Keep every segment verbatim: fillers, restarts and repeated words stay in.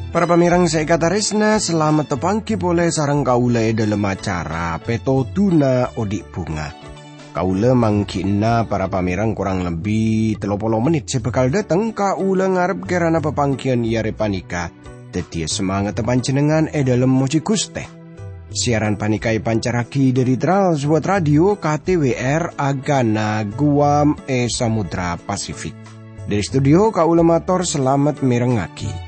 Para pamèrèng sè èkatarèsna, salamet tapangghi polè sareng kaulâ è dhâlem acara Pètodhuna Odi' Bhunga. Kaulâ mangghi'na para pamèrèng korang lebbi tello polo mennit sè bhâkal dâteng. Kaulâ ngarep kèrana papangghiyân è arè panèka dhâddhiyâ samangatta panjhennengngan è dhâlem mojhi Ghustè. Siaran panèka èpancarraghi dhâri Trans World Radio K T W R Agana Guam è Samudra Pasifik. Dhâri studio kaulâ mator salamet mèrengngaghi.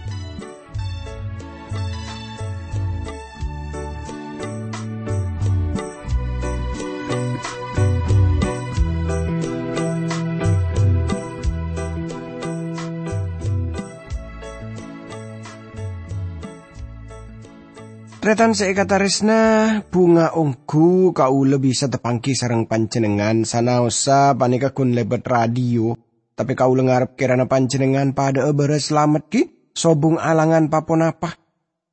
Tarètan sè èkatarèsna, bhunga ongghu kaulâ bisa tapangghi sareng panjhennengngan sanaossa panèka ghun lèbât radio, tapè kaulâ ngarep kèrana panjhennengngan padhâ'â bârâs salamet ghi' sobung alangan pa-ponapa.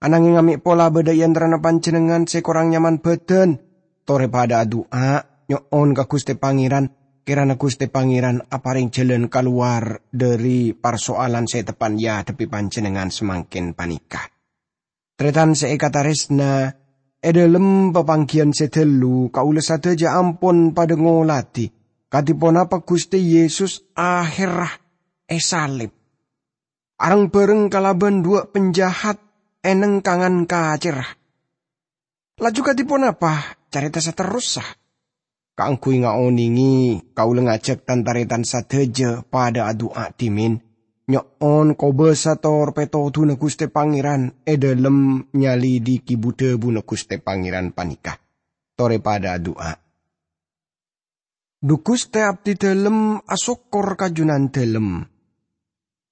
Anangèng amè' pola bâdâ è antarana panjhennengngan sè korang nyaman bhâdhân, torè padhâ adu'a, nyo'on ka Ghustè Pangèran, kèrana Ghustè Pangèran aparèng jhâlân kalowar dhâri parsoalan sè teppa'na èadhebbhi panjhennengngan samangkèn panèka. Tarètan sè èkatarèsna, è dhâlem papangghiyân sè ghâllu kaulâ sadhâjâ ampon padhâ ngolatè kadhi ponapa Ghustè Yesus ahèrra èsalib. Areng-bhâreng kalabân duwâ' panjahat è nengkangan kacèrra. Laju kadhi ponapa carèta saterrossa? Kaangghuy ngaonèngè, kaulâ ngajhâk tan-tarètan sadhâjâ padhâ adu'a dhimèn, nyo'on kobâsa tor pètodhuna Ghustè Pangèran è dhâlem nyalidhighi bu-dhâbuna Ghustè Pangèran panèka. Torè padhâ adu'a. Dhu Ghustè, abdhidhâlem asokkor ka Jhunandhâlem.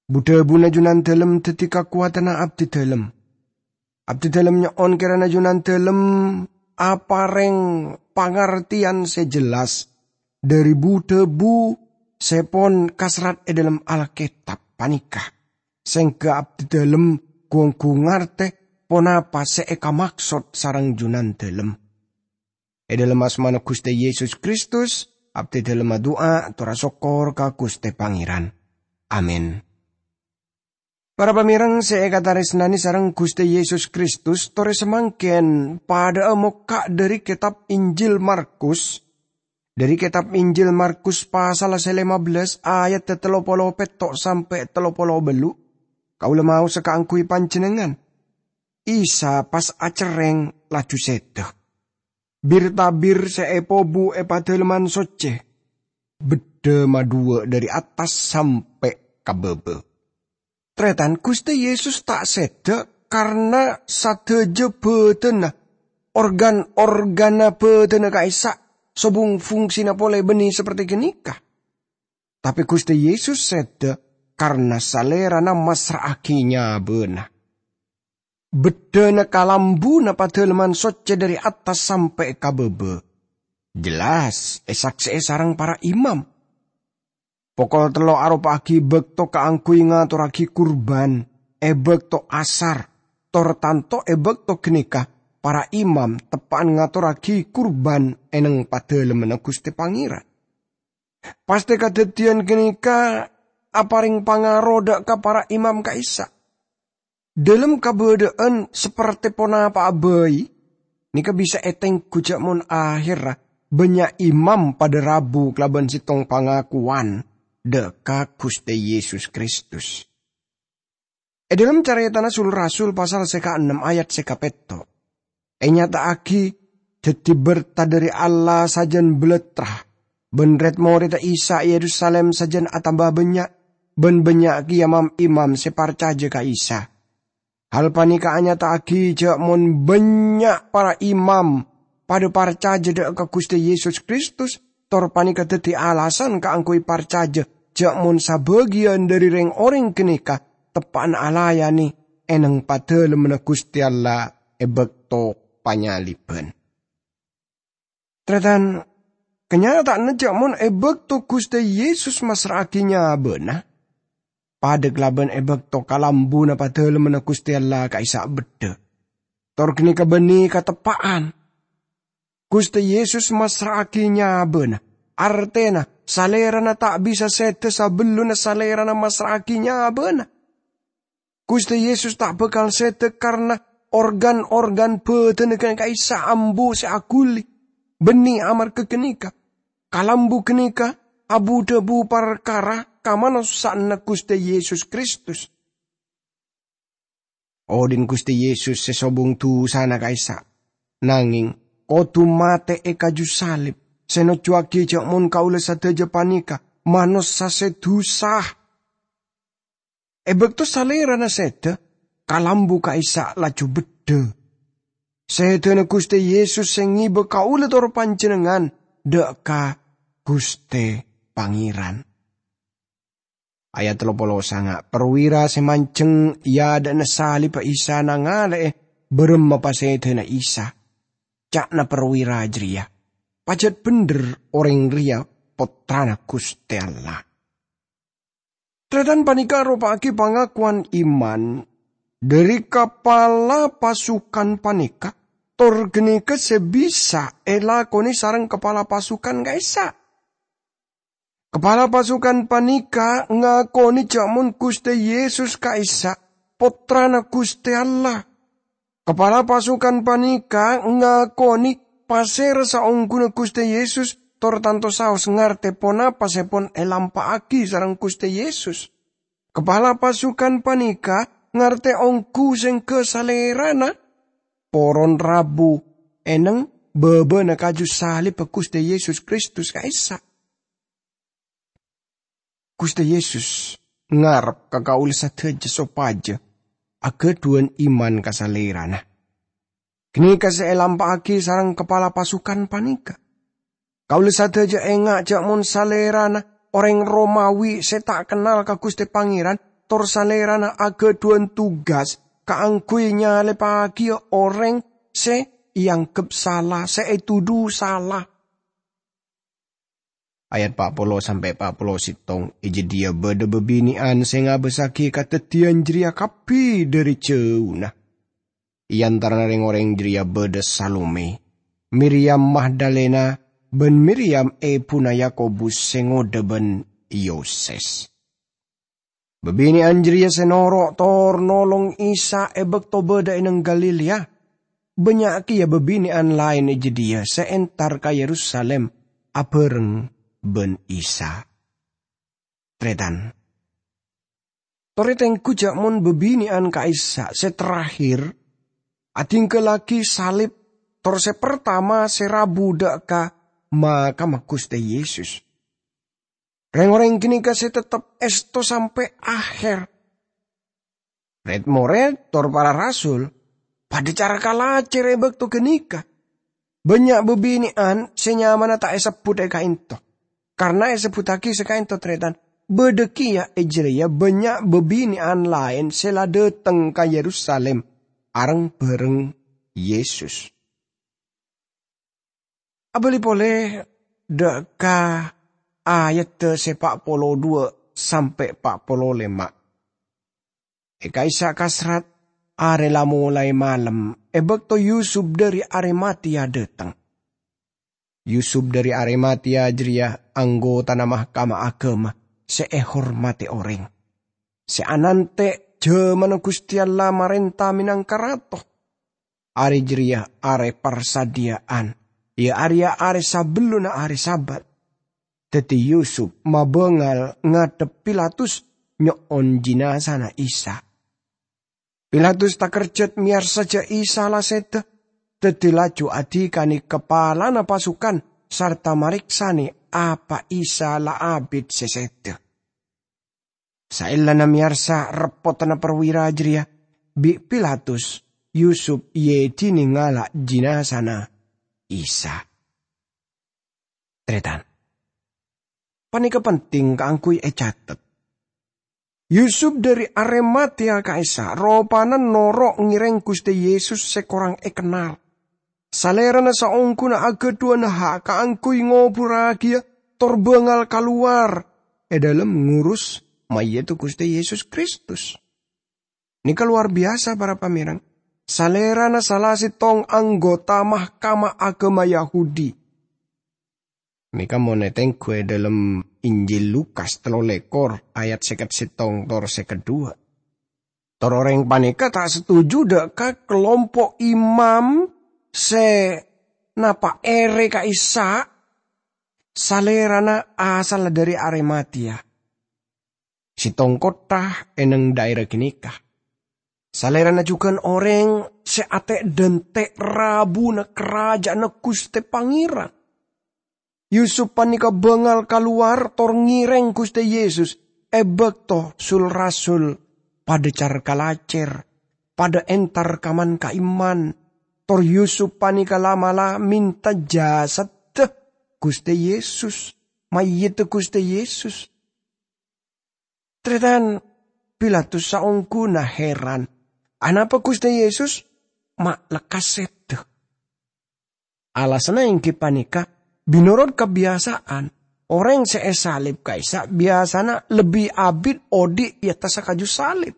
Bu-dhâbuna Jhunandhâlem dhâddhi kakowadhânna abdhidhâlem. Abdhidhâlem nyo'on kèrana Jhunandhâlem aparèng pangartèyan sè jelas dhâri bu-dhâbu sè pon kaserrat è dhâlem Alkètab panèka, sèngghâ abdhidhâlem ghu-ongghu ngartè ponapa sè èkamaksod sareng Jhunandhâlem. È dhâlem asmana Ghustè Yesus Kristus, abdhidhâlem adu'a tor asokkor ka Ghustè Pangèran. Amin. Para pamèrèng sè èkatarèsnanè sareng Ghustè Yesus Kristus, torè samangkèn padhâ'â mokka' dhâri kètab Injil Markus, dhâri kètab Injil Markus pasal sè lèma bellâs ayat tello polo pètto' sampè' tello polo bâllu'. Kaulâ maosa kaangghuy panjhennengngan. Isa pas acerrèng laju sèdhâ. Bir-tabir sè èpobu è Padâlemman Soccè beddhâ madhuwâ' dhâri attas sampè' ka bâbâ. Tarètan, Ghustè Yesus ta' sèdhâ karna sadhâjâ bhâdhânna, organ-organna bhâdhânna ka'issa' sobung fungsina polè bânnè saperte ghânèka. Tapè Ghustè Yesus sèdhâ karna Salèrana massra'aghi nyabâna. Beddhâna kalambhuna Padâlemman Soccè dhâri attas sampè' ka bâbâ. Jelas èsaksè'è sareng para imam. Pokol tello' aropa'aghi bâkto kaangghuy ngatorraghi kurban è bâkto asar, tor tanto è bâkto ghânèka para imam teppa'an ngatorraghi kurban è neng Padâlemmanna Ghustè Pangèran. Pastè kadhâddhiyân ghânèka aparèng pangaro dâ' ka para imam ka'issa'. Dhâlem kabâdâ'ân saperte ponapa'a bhâi, nèka bisa ètengghu jhâ' mon ahèrra bânnya' imam padâ rabu kalabân sèttong pangakowan dâ' ka Ghustè Yesus Kristus. È dhâlem carètana Sul-Rasul pasal sè kaennem ayat sè kapètto', ènyata'aghi dhâddhi berta dhâri Allah sajân bâlâtra, bân red-moredda Isa è Yerusalim sajân atamba bânnya', bân bânnya' kèya mam-imam sè parcajâ ka Isa. Hal panèka anyata'aghi jhâ' mon bânnya' para imam padâ parcajâ dâ' ka Ghustè Yesus Kristus, tor panèka dhâddhi alasan kaangghuy parcajâ jhâ' mon sabâgiyân dhâri rèng-orèng ghânèka teppa'na alayanè è neng Padâlemmanna Ghustè Allah è bâkto panyalibhân. Tarètan, kanyata'anna jhâ' mon è bâkto Ghustè Yesus massra'aghi nyabâna, padâ kalabân è bâkto kalambhuna Padâlemmanna Ghustè Allah ka'issa' beddhâ. Tor ghânèka bânnè kateppa'an. Ghustè Yesus massra'aghi nyabâna, artèna Salèrana ta' bisa sèdhâ sabellunna Salèrana massra'aghi nyabâna. Ghustè Yesus ta' bhâkal sèdhâ karna organ-organ bhâdhânna ghânèka ka'issa' ambu sè aghuli. Bânnè amarghâ ghânèka, kalambu ghânèka abu-dhâbu parkara kamanossa'anna Ghustè Yesus Kristus. Odhi'na Ghustè Yesus sè sobung dusana ka'issa', nangèng kodhu matè è kaju salib, sè nojjuwaghi jhâ' mon kaulâ sadhâjâ panèka manossa sè dhusa. È bâkto Salèrana sèdhâ, kalambu ka'issa' laju beddhâ. Sèdhâna Ghustè Yesus sè ngibâ kaulâ tor panjhennengngan dhâ' ka Ghustè Pangèran. Ayat tello polo sanga', perwira sè manjheng è adâ'na salibbhâ Isa nangalè'è bârâmma pasèdhâna Isa. Ca'na perwira jârèya, "Pajhât bhendher orèng rèya Pottrana Ghustè Allah." Tarètan panèka aropa'aghi pangakowan iman dhâri kapala pasukan panèka, tor ghânèka sè bisa èlakonè sareng kapala pasukan ka'issa'. Kapala pasukan panèka ngakonè jhâ' mon Ghustè Yesus ka'issa' Pottrana Ghustè Allah. Kapala pasukan panèka ngakonè pasèra saongghuna Ghustè Yesus, tor tanto saos ngartè ponapa sè pon èlampa'aghi sareng Ghustè Yesus. Kapala pasukan panèka ngartè ongghu sèngghâ Salèrana poron rabu è neng bâbâna kaju salibbhâ Ghustè Yesus Kristus ka'issa'. Ghustè Yesus ngarep ka kaulâ sadhâjâ sopajâ aghâdhuwân iman ka Salèrana. Ghânèka sè èlampa'aghi sareng kapala pasukan panèka. Kaulâ sadhâjâ enga' jhâ' mon Salèrana orèng Romawi sè ta' kennal ka Ghustè Pangèran, tor Salèrana aghâdhuwân tugas kaangghuy nyalèbhâghiyâ orèng sè èangghep sala, sè ètodhu sala. Ayat pa' polo sampè' pa' polo sèttong, è jâdiyâ bâdâ bâbinè'an sè ngabâssaghi kadhâddhiyân jârèya kabbhi dhâri jhâuna. È antarana rèng-orèng jârèya bâdâ Salome, Miriyam Magdalena, bân Miriyam èbhuna Yakobus sè ngodâ bân Yoses. Bâbinè'an jârèya sè noro' tor nolong Isa è bâkto bâdâ è neng Galilea. Bânnya' kèya bâbinè'an laèn è jâdiyâ sè entar ka Yerusalim abhâreng bân Isa. Tarètan, torè tengghu jhâ' mon bâbinè'an ka'issa' sè terakhir adhinggâllaghi salib, tor sè partama sè rabu dhâ' ka makamma Ghustè Yesus. Rèng-orèng ghânèka sè tettep èsto sampè' aher. Red-mored tor para rasul padâ cara kalajâr è bâkto ghânèka. Bânnya' bâbinè'an sè nyamana ta' èsebbhut è ka'ènto, karna èsebbhuttaghi sè ka'ènto, tarètan. Bâdâ kèya è jârèya bânnya' bâbinè'an laèn sè la dâteng ka Yerusalim areng-bhâreng Yesus. Abâli polè dhâ' ka ayadda sè pa' polo duwâ' sampè' pa' polo lèma'. È ka'issa' kasrat, arè la molaè malem, è bâkto Yusup dhâri Arimatea dâteng. Yusup dhâri Arimatea jârèya anggotana Mahkamah Aghâma sè èhormadhi orèng, sè anantè' jhâmanna Ghustè Allah marènta mènangka Rato. Arè jârèya arè parsadhiyâ'ân, iyâ arèya arè sabellunna arè Sabat. Dhâddhi Yusup mabângal ngadhep Pilatus nyo'on jinazana Isa. Pilatus takerjhât mèyarsa jhâ' Isa la sèdhâ, dhâddhi laju adhikanè kapalana pasukan sarta marèksanè apa Isa la abit sè sèdhâ. Saellana mèyarsa reppotanna perwira jârèya, bi' Pilatus, Yusup èdinè ngala' jinazana Isa. Tarètan, panèka penting kaangghuy ècatet. Yusup dhâri Arimatea ka'issa' ropana noro' ngèrèng Ghustè Yesus sè korang èkennal. Salèrana saongghuna aghâdhuwân ha' kaangghuy ngobhurraghiyâ tor bângal kalowar è dhâlem ngurus mayyidda Ghustè Yesus Kristus. Nèka lowar biyasa, para pamèreng. Salèrana sala sèttong anggota Mahkamah Agama Yahudi. Nèka mon ètengghu è dhâlem Injil Lukas tello lèkor ayat sèket sèttong tor sèket dua. Tor orèng panèka ta' setuju dhâ' ka kalompo' imam sè napa' èrè ka'issa', Salèrana asalla dhâri Arimatia, sèttong kottha è neng dhaèra ghânèka. Salèrana jhughân orèng sè atè'-dântè' rabuna Karaja'anna Ghustè Pangèran. Yusup panèka bângal kalowar tor ngèrèng Ghustè Yesus è bâkto sul-rasul padâ car-kalacèr, padâ entar ka man-ka'imman. Tor Yusup panèka la'-mala' mènta jasaddhâ Ghustè Yesus, mayyidda Ghustè Yesus. Tarètan, Pilatus saongghuna heran, anapa Ghustè Yesus ma' lekkas sèdhâ? Alasanna èngghi panèka, mènorot kabiyasa'an, orèng sè èsalib ka'issa' biyasana lebbi abit odi' è attassa kaju salib.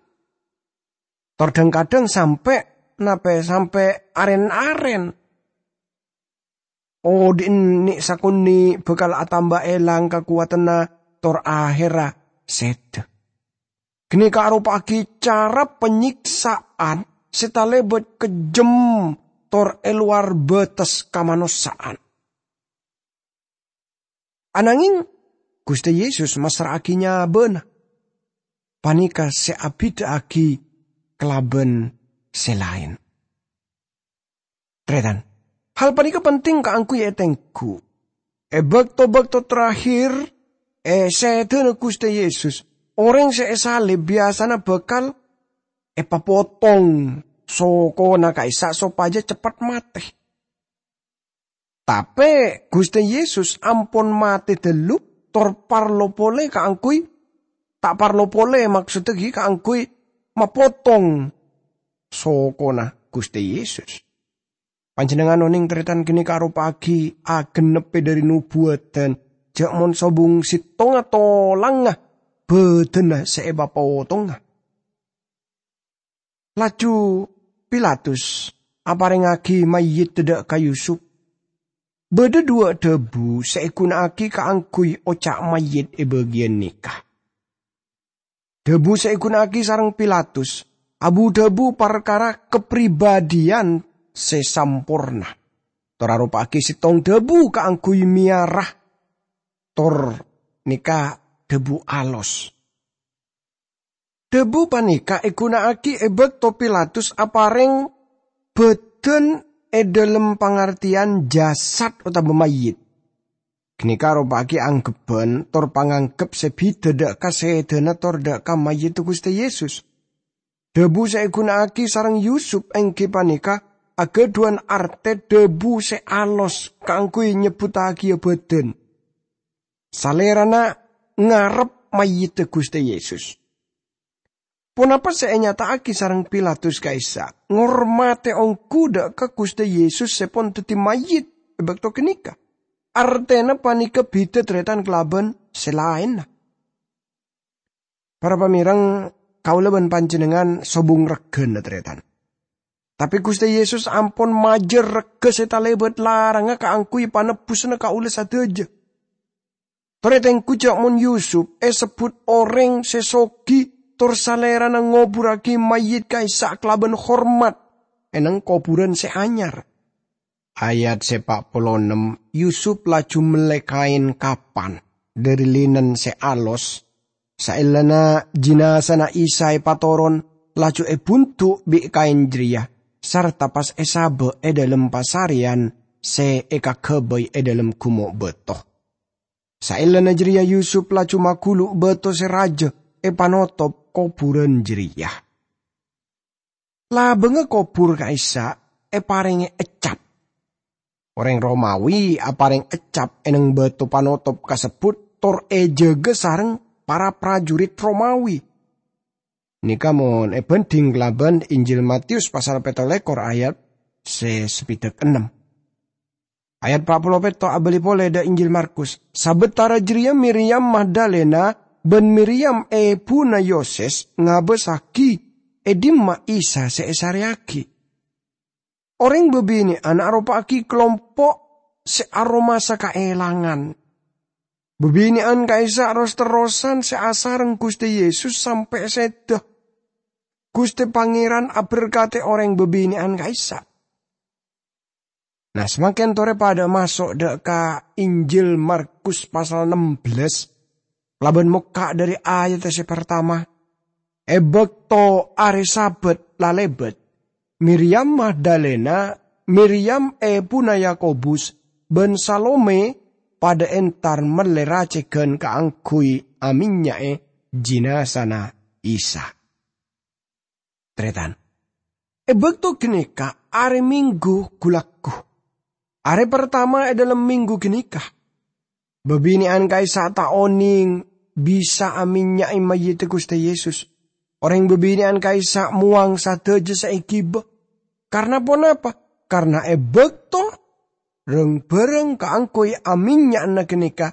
Tor dhâng-kadhâng sampè', napè sampè' arèn-arèn. Odi' ennè' sakonè' bhâkal atamba èlang kakowadhânna tor ahèrra sèdhâ. Ghânèka aropa'aghi cara panyèksa'an sè talèbât kejjhem tor è lowar bâtes kamanossa'an. Anangèng Ghustè Yesus massra'aghi nyabâna. Panèka sè abhidhâ'aghi kalabân sè laèn. Tarètan, hal panèka penting kaangghuy ètengghu. È bâkto-bâkto terakhir è sèdhâna Ghustè Yesus, orèng sè èsalib biyasana bhâkal èpapotong sokona ka'issa' sopajâ ceppet matè. Tapè Ghustè Yesus ampon matè dâllu, tor parlo polè kaangghuy, ta' parlo polè, maksoddhâ ghi' kaangghuy mapotong sokona Ghustè Yesus. Panjhennengngan onèng tarètan ghânèka aropa'aghi agennebbhâ dhâri nobuwâdhân, jhâ' mon sobung sèttonga tolangnga bhâdhânna sè èpapotonga. Laju Pilatus aparèngaghi mayyidda dhâ' ka Yusup. Bâdâ duwâ' dhâbu sè èghuna'aghi kaangghuy oca' mayyit è bâgiyân nèka. Dhâbu sè èghuna'aghi sareng Pilatus abu-dhâbu parkara kapribâdhiyân sè samporna, tor aropa'aghi sèttong dhâbu kaangghuy mèyara, tor nèka dhâbu alos. Dhâbu panèka èghuna'aghi è bâkto Pilatus aparèng bhâdhân è dhâlem pangartèyan jasad otabâ mayyit. Ghânèka aropa'aghi anggebbhân tor panganggep sè bhidhâ dhâ' ka sèdhâna tor dhâ' ka mayyidda Ghustè Yesus. Dhâbu sè èghuna'aghi sareng Yusup èngghi panèka aghâdhuwân artè dhâbu sè alos kaangghuy nyebbhuttaghiyâ bhâdhân. Salèrana ngarep mayyidda Ghustè Yesus. Ponapa sè ènyata'aghi sareng Pilatus ka'issa'? Ngormatè ongghu dhâ' ka Ghustè Yesus sè pon dhâddhi mayyit è bâkto ghânèka. Artèna panèka bhidhâ tarètan kalabân sè laènna. Para pamèreng, kaulâ bân panjhennengngan sobung règhâna tarètan. Tapè Ghustè Yesus ampon majâr règhâ sè talèbât larangnga kaangghuy panebbusanna kaulâ sadhâjâ. Tor ètengghu jhâ' mon Yusup èsebbhut orèng sè soghi, tor salèrana ngoburraghi mayyit ka'issa' kalabân hormat è neng kobhurân sè anyar. Ayat sè pa' polo ennem, Yusup laju mellè kaèn kapan dhâri linen sè alos. Saellana jinazana Isa èpatoron, laju èbhundu' bi' kaèn jârèya, sarta pas èsabâ' è dhâlem pasarèyan sè èkaghâbây è dhâlem ghumo' bâto. Saellana jârèya Yusup laju maghulu' bâto sè rajâ èpanotop kobhurân jârèya. Labângnga kobhur ka'issa' èparèngè eccap. Orèng Romawi aparèng eccap è neng bâto panotop kasebbhut tor èjâgâ sareng para prajurit Romawi. Nèka mon èbhândhing kalabân Injil Matius pasal pètto lèkor ayat sè sapèdak ennem. Ayat pa' polo pètto abâli polè dhâ' Injil Markus. Sabâtara jârèya Miriyam Magdalena bân Miriyam èbhuna Yoses ngabâsaghi è dimma Isa sè èsarèyaghi. Orèng babine'an aropa'aghi kalompo' sè aromasa kaèlangan. Babine'an ka'issa' ros-terrosan sè asareng Ghustè Yesus sampè' sèda. Ghustè Pangèran aberkadhi orèng babine'an ka'issa'. Nah, samangkèn torè padhâ maso' dâ' ka Injil Markus pasal nem bellâs, kalabân mokka' dâri ayat sè partama. È bâkto arè Sabat la lèbât, Miriyam Magdalena, Miriyam èbuna Yakobus, bân Salome padhâ entar mellè racègan kaangghuy amènnya'è jinazana Isa. Tarètan. È bâkto ghânèka arè Minggu ghu-lagghu. Arè partama è dhâlem minggu ghânèka. Babine'an ka'issa' ta' onèng bisa amènnya'è mayyidda Ghustè Yesus. Orèng babine'an ka'issa' mowang sadhâjâ sè èghibâ. Karna ponapa? Karna è bâkto rang-bhârâng kaangghuy amènnya'na ghânèka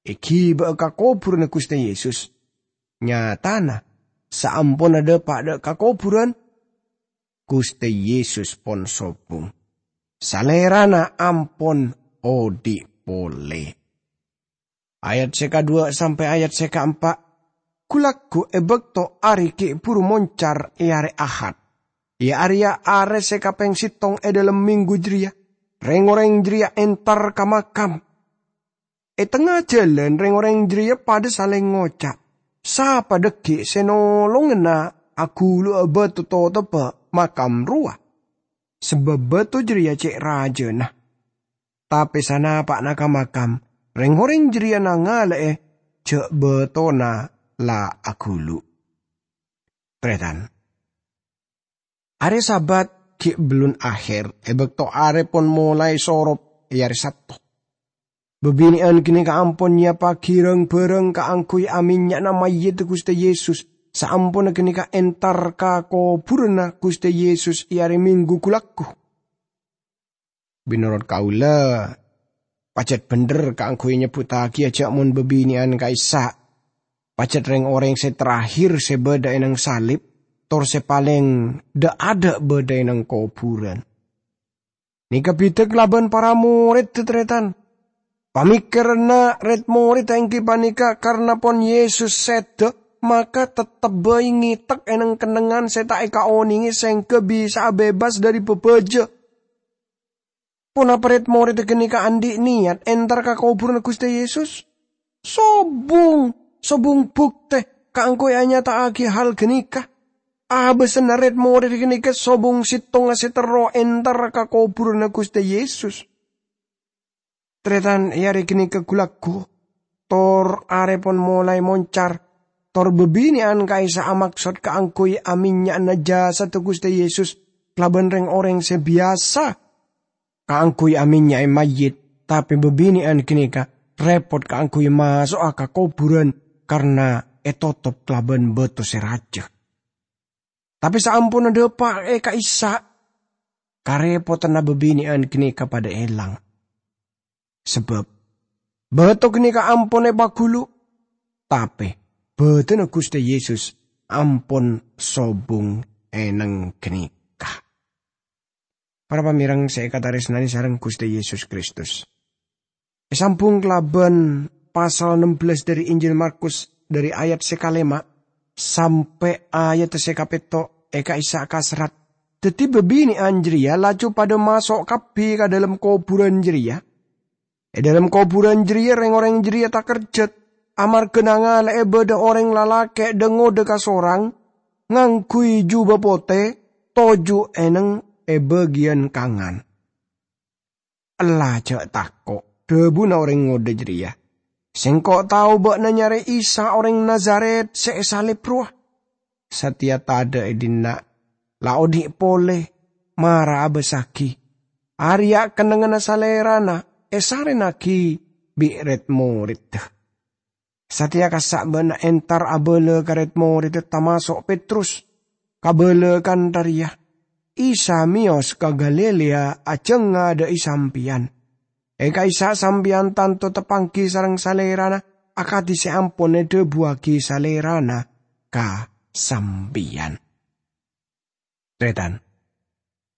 èghibâ'â ka kobhurânna Ghustè Yesus, nyatana saamponna dâpa' dâ' ka kobhurân, Ghustè Yesus pon sobung. Salèrana ampon odhi' polè. Ayat sè kadhuwâ' sampè' ayat sè kaempa', ghu-lagghu è bâkto arè ghi' bhuru moncar è arè Ahad, iyâ arèya arè sè kapèng sèttong è dhâlem minggu jârèya, rèng-orèng jârèya entar ka makam. È tengnga jhâlân rèng-orèng jârèya padhâ salèng ngoca', "Sapa dhâggi' sè nolongana aghulu'a bâto totobbhâ makam rowa? Sabâb bâto jârèya cè' rajâna." Tapè sanapa'na ka makam, rèng-orèng jârèya nangalè'è jâ' bâtona la aghulu'. Tarètan. Arè Sabat ghi' bellun aher, è bâkto arè pon molaè sorop è arè Sabto. Babine'an ghânèka ampon nyèyappaghi rang-bhârâng kaangghuy amènnya'na mayyidda Ghustè Yesus, saamponna ghânèka entar ka kobhurânna Ghustè Yesus è arè Minggu ghu-lagghu. Mènorot kaulâ, pajhât bhender kaangghuy nyebbhuttaghiyâ jâ' mon babine'an ka'issa' pajhât rèng-orèng sè terakhir sè bâdâ è nang salib, tor sè palèng dâ'-adâ' bâdâ è nang kobhurân. Nèka bhidhâ kalabân para morèdda, tarètan. Pamèkkèranna rèd-morèdda èngghi panèka karna pon Yesus sèdhâ, maka tettebbhâi ngètek è nang kennengngan sè ta' èkaonèngè sèngghâ bisa'a bebas dâri bâbâjâ. Ponapa rèd-morèdda ghânèka andi' niyat entar ka kobhurânna Ghustè Yesus? Sobung, sobung bhuktè kaangghuy anyata'aghi hal ghânèka. Abâsanna rèd-morèd ghânèka sobung sèttongnga sè terro entar ka kobhurânna Ghustè Yesus. Tarètan, è arè ghânèka ghu-lagghu, tor arè pon molaè moncar, tor babine'an ka'issa' amaksod kaangghuy amènnya'ana jasadda Ghustè Yesus kalabân rèng-orèng sè biyasa kaangghuy amènnya'è mayyit, tapè babine'an ghânèka rèpot kaangghuy maso'a ka kobhurân karna ètotop kalabân bâto sè rajâ. Tapè saamponna dâpa' è ka'issa', karèpotanna babine'an ghânèka padhâ èlang. Sabâb bâto ghânèka ampon èpaghulu', tapè bâdânna Ghustè Yesus ampon sobung è nang ghânèka. Para pamèreng sè èkatarèsnanè sareng Ghustè Yesus Kristus. Èsambhung kalabân pasal nem bellâs dâri Injil Markus, dâri ayat sè kalèma' sampè' ayat sè kapètto' è ka'issa' kaserrat. Dhâddhi babine'an jârèya laju padhâ maso' kabbhi ka dhâlem kobhurân jârèya. È dhâlem kobhurân jârèya rèng-orèng jârèya takerjhât, amarghâ nangalè'è bâdâ orèng lalakè' dâ-ngodâ kasorang, ngangghuy jubâ potè, toju' è neng è bâgiyân kangan. "Ella, jhâ' tako'," dhâbuna orèng ngodâ jârèya. "Sèngko' tao bâ'na nyarè Isa orèng Nazaret sè èsalib rowa. Satèya tadâ' è dinna', la odhi' polè, mara abâssaghi. Arèya kennengnganna Salèrana èsarènnaghi bi' rèd-morèdda." Satèya kassa' bâ'na entar abâlâ ka rèd-morèdda tamaso' Petrus, kabâlâ kantha rèya, "Isa mèyos ka Galilea ajhângngadâ'i sampèyan. È ka'issa' sampèyan tanto teppangghi sareng Salèrana akadhi sè ampon èdhâbuwaghi Salèrana ka sampèyan." Tarètan.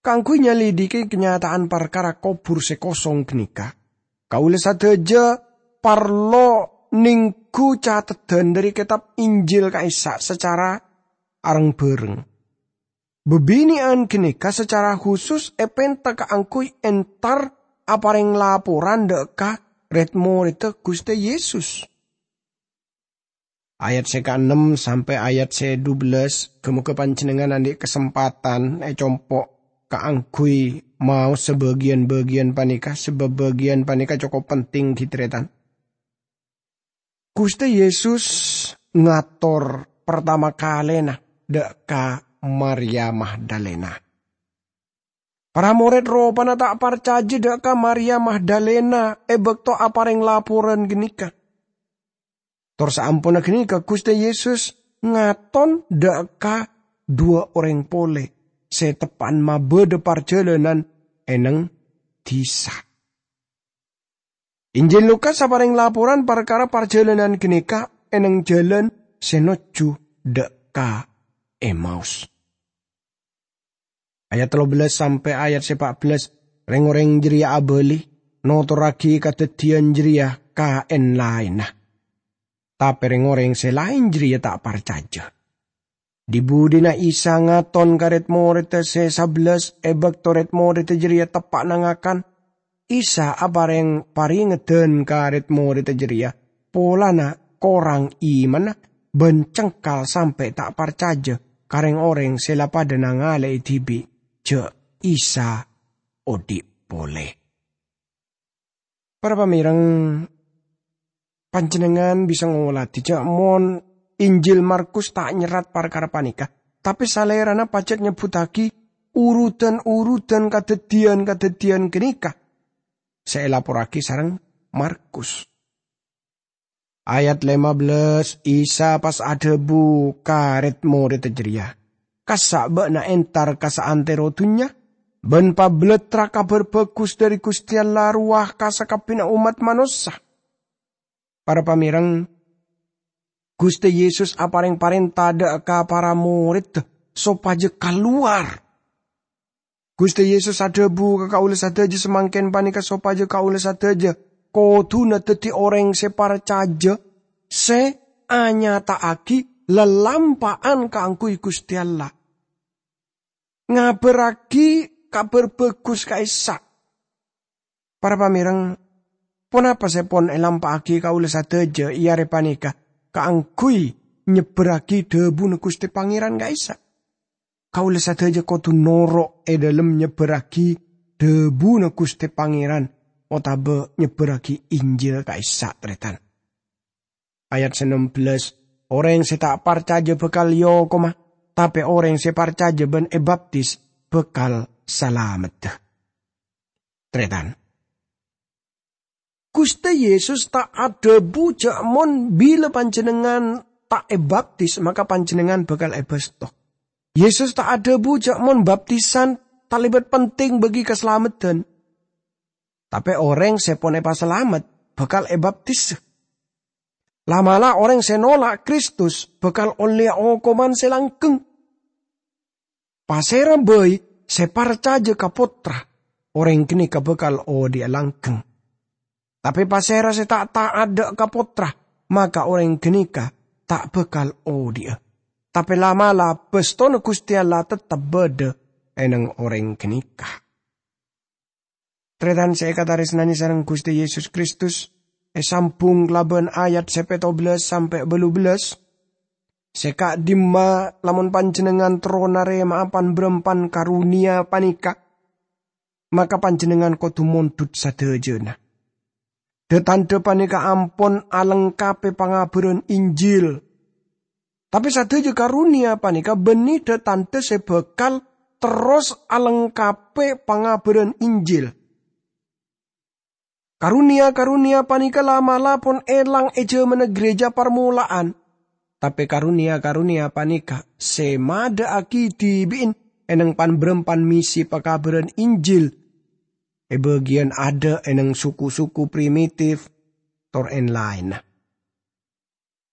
Kaangghuy nyalidhiki kanyata'an parkara kobhur sè kosong ghânèka, kaulâ sadhâjâ parlo nèngghu cateddhân dhâri kètab Injil ka'issa' sacara reng-bhâreng. Bhâbhinè'an ghânèka sacara husus èpènta kaangghuy entar aparèng laporan dhâ' ka rèd-morèdda Ghustè Yesus. Ayat sè kaennem sampè' ayat sè dubellâs, ghâ-mogâ panjhennengngan andi' kasempadhân ècompo' kaangghuy maos sabâgiyân-bâgiyân panèka, sabâb bâgiyân panèka cokop penting, ghi, tarètan. Ghustè Yesus ngator partama kalèna dhâ' ka Maria Magdalena. Para morèd ropana ta' parcajâ dhâ' ka Maria Magdalena è bâkto aparèng laporan ghânèka. Tor saamponna ghânèka, Ghustè Yesus ngaton dhâ' ka dhuwâ' orèng polè sè teppa'na mabâdâ parjhâlânan è neng dhisa. Injil Lukas aparèng laporan parkara parjhâlânan ghânèka è neng jhâlân sè nojjhu dhâ' ka Emaus. Ayat tello bellâs sampè' ayat sè pa' bellâs, rèng-orèng jârèya abâli, notorraghi kadhâddhiyân jârèya ka en-laènna. Tapè rèng-orèng sè laèn jârèya ta' parcajâ. Dhi-budhina Isa ngaton ka rèd-morèdda sè sabellâs è bâkto rèd-morèdda jârèya teppa'na ngakan. Isa aparèng parèngedhân ka rèd-morèdda jârèya polana korang imanna bân cengkal sampè' ta' parcajâ ka rèng-orèng sè la padâ nangalè'è dhibi' jâ' Isa odhi' polè. Para pamèreng, panjhennengngan bisa ngolatè jâ' mon Injil Markus ta' nyerrat parkara panèka, tapè salèrana pajhât nyebbhuttaghi urudan-urudan kadhâddhiyân-kadhâddhiyân ghânèka sè èlaporraghi sareng Markus. Ayat lèma bellâs, Isa pas adhâbu ka rèd-morèdda jârèya, "Kassa' bâ'na entar ka saantèro dhunnya, bân pabellattra Kabhâr Bhâghus dhâri Ghustè Allah rowa ka sakabbhiyânna ommat manossa." Para pamèreng, Ghustè Yesus aparèng parènta dhâ' ka para morèdda sopajâ kalowar. Ghustè Yesus adhâbu ka kaulâ sadhâjâ samangkèn panèka sopajâ kaulâ sadhâjâ kodhuna dhâddhi orèng sè parcajâ, sè anyata'aghi lalampa'an kaangghuy Ghustè Allah. Ngabârraghi Kabhâr Bhâghus ka'issa'. Para pamèreng, ponapa sè pon èlampa'aghi kaulâ sadhâjâ è arè panèka kaangghuy nyebbhârraghi dhâbuna Ghustè Pangèran ka'issa'? Kaulâ sadhâjâ kodhu noro' è dhâlem nyebbhârraghi dhâbuna Ghustè Pangèran otabâ nyebbhârraghi Injil ka'issa', tarètan. Ayat sanembellâs, "Orèng sè ta' parcajâ bhâkal èokoma, tapè orèng sè parcajâ bân èbaptis bhâkal salameddhâ." Tarètan. Ghustè Yesus ta' adhâbu jâ' mon bilâ panjhennengngan ta' èbaptis, maka panjhennengngan bhâkal èbâsto. Yesus ta' adhâbu jâ' mon baptisan talèbât penting bagi kasalameddhân. Tapè orèng sè pon èpasalamet bhâkal èbaptis. La'-mala' orèng sè nola' Kristus bhâkal ollèya okoman sè langghâng. Pasèra bhâi sè parcajâ ka Pottra, orèng ghânèka bhâkal odhi'a langghâng. Tapè pasèra sè ta' ta'at dhâ' ka Pottra, maka orèng ghânèka ta' bhâkal odhi'a. Tapè la'-mala' bâstona Ghustè Allah teptep bâdâ è neng orèng ghânèka. Tarètan sè èkatarèsnanè sareng Ghustè Yesus Kristus, èsambhung kalabân ayat sè pètto bellâs sampè' bâllu bellâs. Sè ka'dimma lamon panjhennengngan terro narèma'a pan-bârâmpan karonèya panèka, maka panjhennengngan kodhu mondhut sadhâjâna. Dhâ-tandhâ panèka ampon alengkapè pangabhârân Injil. Tapè sadhâjâ karonèya panèka bânnè dhâ-tandhâ sè bhâkal terros alengkapè pangabhârân Injil. Karonèya-karonèya panèka la'-mala' pon èlang è jhâmanna ghârèja parmola'an. Tapè karonèya-karonèya panèka sè madhâ'aghi dhibi'en è neng pan-bârâmpan misi pakabhârân Injil è bâgiyân adâ' è neng suku-suku primitif, tor èn-laènna.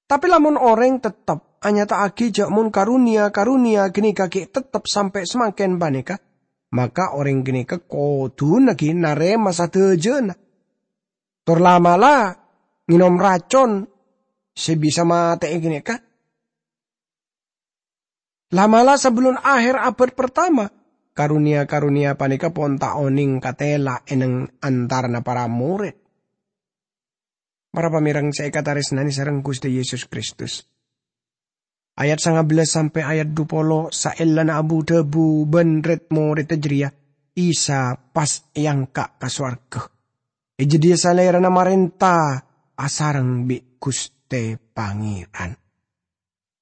Tapè lamon orèng teptep anyata'aghi jâ' mon karonèya-karonèya ghânèka ghi' teptep sampè' samangkèn panèka, maka orèng ghânèka kodhuna ghi' narèma sadhâjâna. Tor la'-mala' ngènom racon sè bisa matè'è ghânèka. La'-mala' sabellun aher abad partama, karoniya-karoniya panèka pon ta' onèng katèla è neng antarana para morèd. Para pamèreng sè èkatarèsnanè sareng Ghustè Yesus Kristus. Ayat sangabellâs sampè' ayat dupolo saellana abu-dhâbu bân rèd-morèdda jârèya, Isa pas èangka' ka sowarghâ. È jâdiyâ Salèrana marènta asareng bi' Ghustè Pangèran.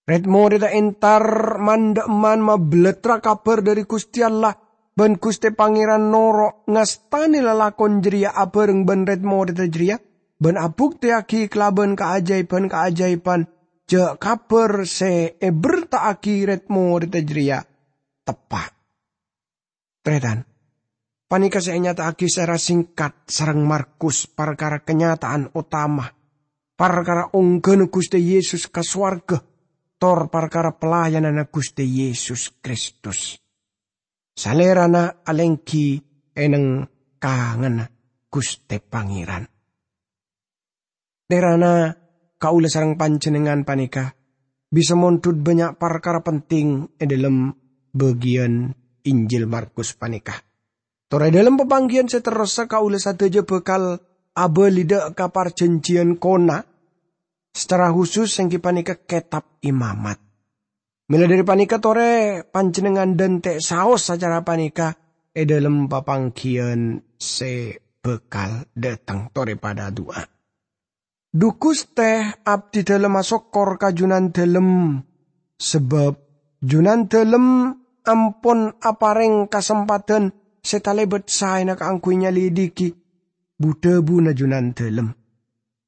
Rèd-morèdda entar man-dhâ'emman mabellattra kabhâr dhâri Ghustè Allah, bân Ghustè Pangèran noro' ngastanè lalakon jârèya abhâreng bân rèd-morèdda jârèya, bân abuktèyaghi kalabân kaajâibhân-kaajâibhân jâ' kabhâr sè èberta'aghi rèd-morèdda jârèya teppa'. Tarètan, panèka sè ènyata'aghi secara singkat sareng Markus parkara kanyata'an otama, parkara ongghâna Ghustè Yesus ka sowarghâ, tor parkara pelayananna Ghustè Yesus Kristus. Salèrana alèngghi è neng kanganna Ghustè Pangèran. Terana kaulâ sareng panjhennengngan panèka bisa mondhut bânnya' parkara penting è dhâlem bâgiyân Injil Markus panèka. Tor è dhâlem papangghiyân sè terrossa kaulâ sadhâjâ bhâkal abâli dhâ' ka parjhânjhiyân kona, secara husus èngghi panèka Kètab Imamat. Mèla dhâri panèka torè panjhennengngan dhânte' saos acara panèka è dhâlem papangghiyân sè bhâkal dhâteng. Torè padhâ adu'a. Dhu Ghustè, abdhi dhâlem asokkor ka Junandhâlem, sabâb Junandhâlem ampon aparèng kasempadhân sè talèbât saèna kaangghuy nyalidhighi bu-dhâbuna Junandhâlem.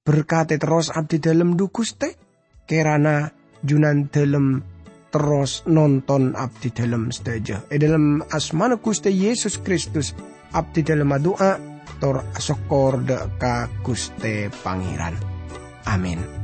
Berkatè terros abdhi dhâlem, dhu Ghustè. Kèrana Junandhâlem terros nonton abdhi dhâlem sadhâjâ. È dhâlem asmana Ghustè Yesus Kristus, abdhi dhâlem adu'a tor asokkor dhâ' ka Ghustè Pangèran. Amin.